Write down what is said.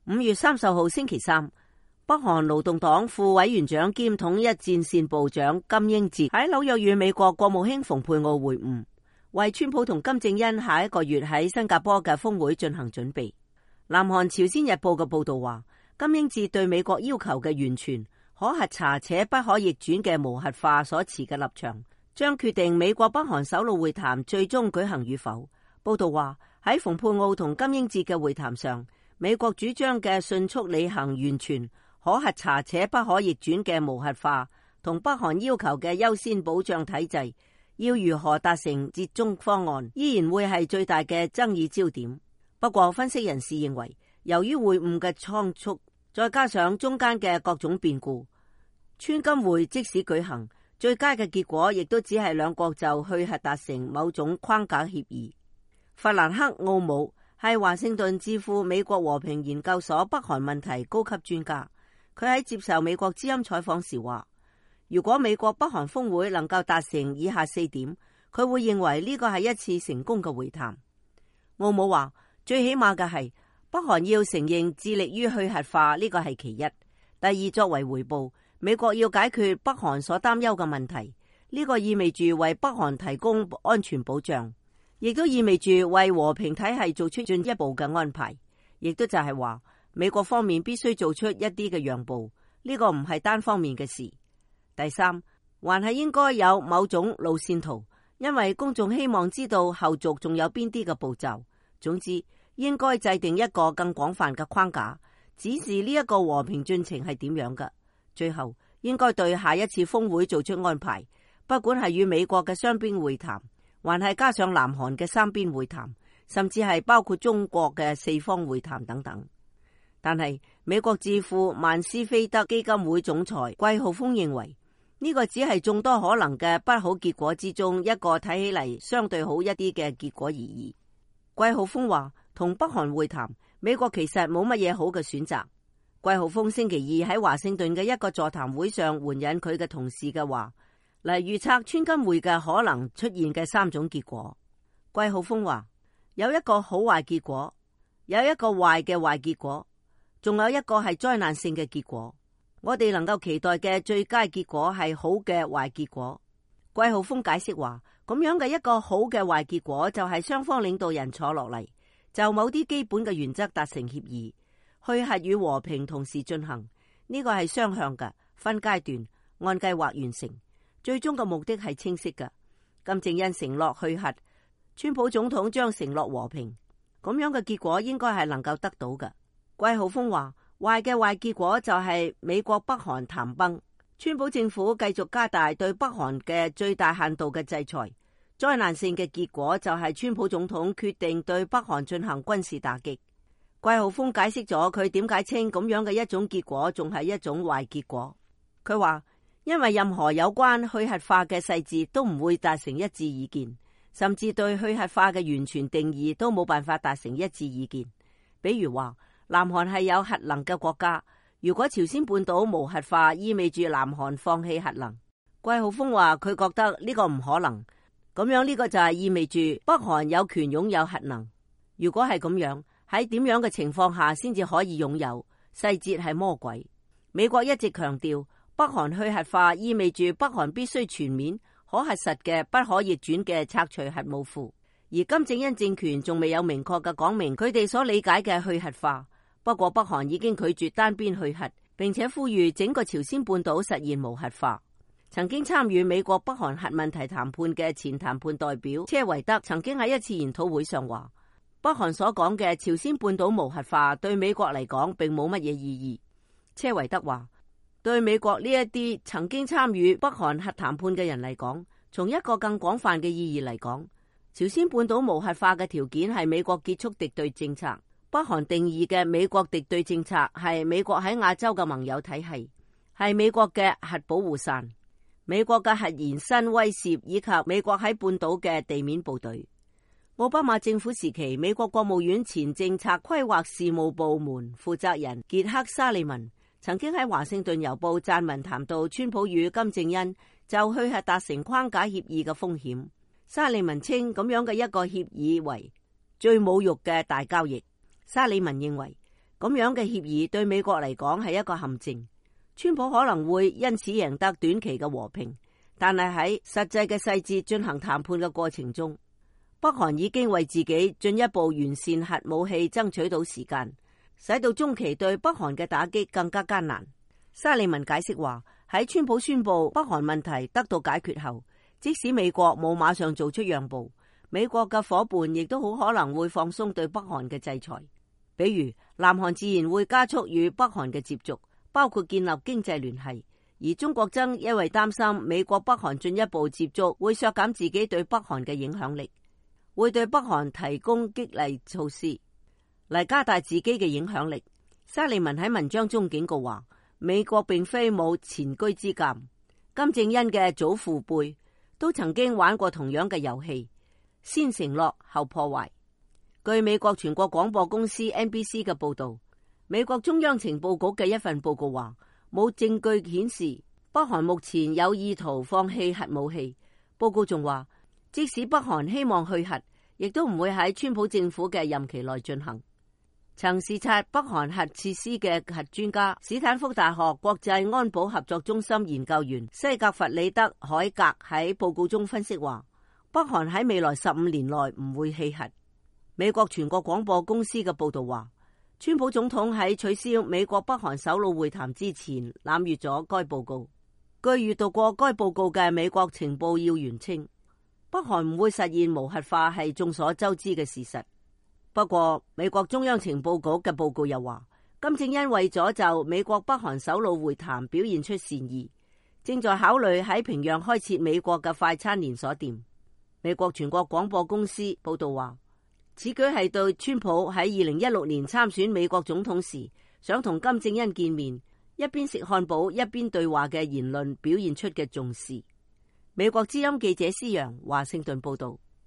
5月30號星期三，北韓勞動黨副委員長兼統一戰線部長金英哲喺紐約與美國國務卿蓬佩奧會晤，為川普同金正恩下一個月喺新加坡嘅峰會進行準備。南韓朝鮮日報嘅報道話，金英哲對美國要求嘅完全可核查且不可逆轉嘅無核化所持嘅立場，將決定美國北韓首腦會談最終舉行與否。報道話，喺蓬佩奧同金英哲嘅會談上，美國主張嘅迅速履行完全可核查且不可逆轉嘅無核化，同北韓要求嘅優先保障體制，要如何達成折中方案，依然會係最大嘅爭議焦點。不過，分析人士認為，由於會晤嘅倉促，再加上中間嘅各種變故，川金會即使舉行，最佳嘅結果亦都只係兩國就去核達成某種框架協議。弗蘭克·奧姆係華盛頓智庫美國和平研究所北韓問題高級專家，佢喺接受美國之音採訪時話，如果美國北韓峰會能夠達成以下4點，佢會認為呢個係一次成功嘅會談。奧姆話，最起碼嘅係北韓要承認致力於去核化，呢個係其一。第二，作為回報，美國要解決北韓所擔憂嘅問題，呢個意味住為北韓提供安全保障，亦都意味住為和平體系做出進一步嘅安排，亦都就係話美國方面必須做出一啲嘅讓步，呢個唔係單方面嘅事。第三，還係應該有某種路線圖，因為公眾希望知道後續仲有邊啲嘅步驟。總之，應該制定一個更廣泛嘅框架，指示呢一個和平進程係點樣嘅。最後，應該對下一次峰會做出安排，不管係與美國嘅雙邊會談，還係加上南韓嘅3邊會談，甚至係包括中國嘅4方會談等等。但係美國智庫曼斯菲德基金會總裁季浩峰認為，呢個只係眾多可能嘅不好結果之中一個睇起嚟相對好一啲嘅結果而已。季浩峰話，同北韓會談，美國其實冇乜嘢好嘅選擇。季浩峰星期二喺華盛頓嘅一個座談會上援引佢嘅同事嘅話嚟預測川金會嘅可能出現嘅3種結果。季浩峰話，有一個好壞結果，有一個壞嘅壞結果，仲有一個係災難性嘅結果。我哋能夠期待嘅最佳結果係好嘅壞結果。季浩峰解釋話，咁樣嘅一個好嘅壞結果就係雙方領導人坐落嚟，就某啲基本嘅原則達成協議，去核與和平同時進行。呢個係雙向嘅，分階段按計劃完成，最終嘅目的係清晰嘅。金正恩承諾去核，川普總統將承諾和平，咁樣嘅結果應該係能夠得到嘅。季浩峰話，壞嘅壞結果就係美國北韓談崩，川普政府繼續加大對北韓嘅最大限度嘅制裁。災難性嘅結果就係川普總統決定對北韓進行軍事打擊。季浩峰解釋咗佢點解稱咁樣嘅一種結果仲係一種壞結果。佢話，因為任何有關去核化嘅細節都唔會達成一致意見，甚至對去核化嘅完全定義都冇辦法達成一致意見。比如話，南韓係有核能嘅國家，如果朝鮮半島無核化，意味住南韓放棄核能。季浩峰話佢覺得呢個唔可能，咁樣呢個就係意味住北韓有權擁有核能。如果係咁樣，喺點樣嘅情況下先至可以擁有？細節係魔鬼。美國一直強調，北韓去核化意味住北韓必須全面、可核實嘅不可逆轉嘅拆除核武庫，而金正恩政權仲未有明確嘅講明佢哋所理解嘅去核化。不過北韓已經拒絕單邊去核，並且呼籲整個朝鮮半島實現無核化。曾經參與美國北韓核問題談判嘅前談判代表車維德曾經喺一次研討會上話，北韓所講嘅朝鮮半島無核化對美國嚟講並冇乜嘢意義。車維德話，對美國呢一啲曾經參與北韓核談判嘅人嚟講，從一個更廣泛嘅意義嚟講，朝鮮半島無核化嘅條件係美國結束敵對政策。北韓定義嘅美國敵對政策係美國喺亞洲嘅盟友體系，係美國嘅核保護傘、美國嘅核延伸威懾以及美國喺半島嘅地面部隊。奧巴馬政府時期，美國國務院前政策規劃事務部門負責人傑克沙利文曾經喺華盛頓郵報撰文談到川普與金正恩就去核達成框架協議嘅風險。沙利文稱咁樣嘅一個協議為最侮辱嘅大交易。沙利文認為咁樣嘅協議對美國嚟講係一個陷阱。川普可能會因此贏得短期嘅和平，但係喺實際嘅細節進行談判嘅過程中，北韓已經為自己進一步完善核武器爭取到時間，使到中期對北韓嘅打擊更加艱難。沙利文解釋話，喺川普宣布北韓問題得到解決後，即使美國冇馬上做出讓步，美國嘅夥伴亦都好可能會放鬆對北韓嘅制裁。比如南韓自然會加速與北韓嘅接觸，包括建立經濟聯繫，而中國則因為擔心美國北韓進一步接觸會削減自己對北韓嘅影響力，會對北韓提供激勵措施嚟加大自己嘅影響力。沙利文喺文章中警告話，美國並非冇前車之鑑，金正恩嘅祖父輩都曾經玩過同樣嘅遊戲，先承諾後破壞。據美國全國廣播公司 NBC 嘅報道，美國中央情報局嘅一份報告話，冇證據顯示北韓目前有意圖放棄核武器。報告仲話，即使北韓希望去核，亦都唔會喺川普政府嘅任期內進行。曾視察北韓核設施嘅核專家、史坦福大學國際安保合作中心研究員西格弗里德·海格喺報告中分析話，北韓喺未來15年內唔會棄核。美國全國廣播公司嘅報道話，川普總統喺取消美國北韓首腦會談之前濫閱咗該報告。據閱讀過該報告嘅美國情報要員稱，北韓唔會實現無核化係眾所周知嘅事實。不過，美國中央情報局嘅報告又話，金正恩為咗就美國北韓首腦會談表現出善意，正在考慮喺平壤開設美國嘅快餐連鎖店。美國全國廣播公司報道話，此舉係對川普喺2016年參選美國總統時想同金正恩見面，一邊食漢堡一邊對話嘅言論表現出嘅重視。美國之音記者施洋華盛頓報道。